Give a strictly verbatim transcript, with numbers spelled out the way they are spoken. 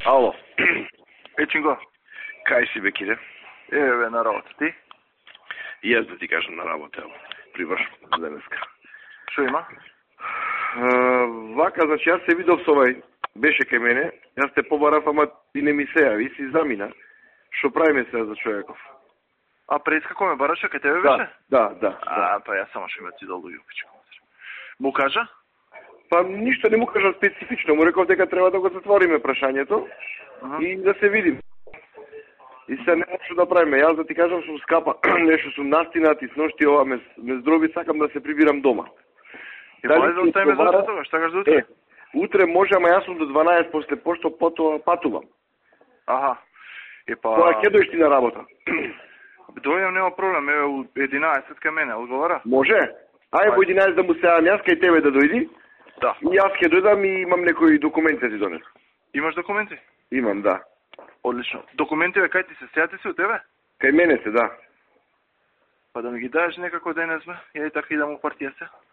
Ало. Е, Чинго, Кај си, бе, Кире? еве на работа, ти? И јас да ти кажам на работа, ево. Привршам денеска. Шо има? Uh, вака, значи, јас се видов со овај, беше кај мене, јас те побарав, ама ти не ми се јави, си замина. Шо правиме сега за човеков? А преска кој ме бараше, кај тебе Да, беше? да, да. А, па јас само што ме ти долу јупичко. Му кажа? Па ништо не му кажа специфично, му реков дека треба да го затвориме прашањето Uh-huh. и да се видим. И се нема што да правиме. Јас да ти кажам сум скапа, нешто сум настинат и сношти ова ме, ме здроби, сакам да се прибирам дома. И дали да оставиме за утре тогаш, сакаш за утре? Е, утре може, ама јас сум до дванаесет после пошто потоа патувам. Аха. И па... Кога ќе дојдеш ти на работа? Дојдем, нема проблем, еве у единаесет кај мене, одговара? Може? Ај во единаесет да му се јавам јас кај тебе да дојди. Да. И јас ќе дојдам и имам некои документи да ти донесам. Имаш документи? Имам, да. Одлично. Документи бе, кај ти се, сејате се у тебе? Кај мене се, да. Па да ми ги даеш некако денес бе, ја и така идам у партија се.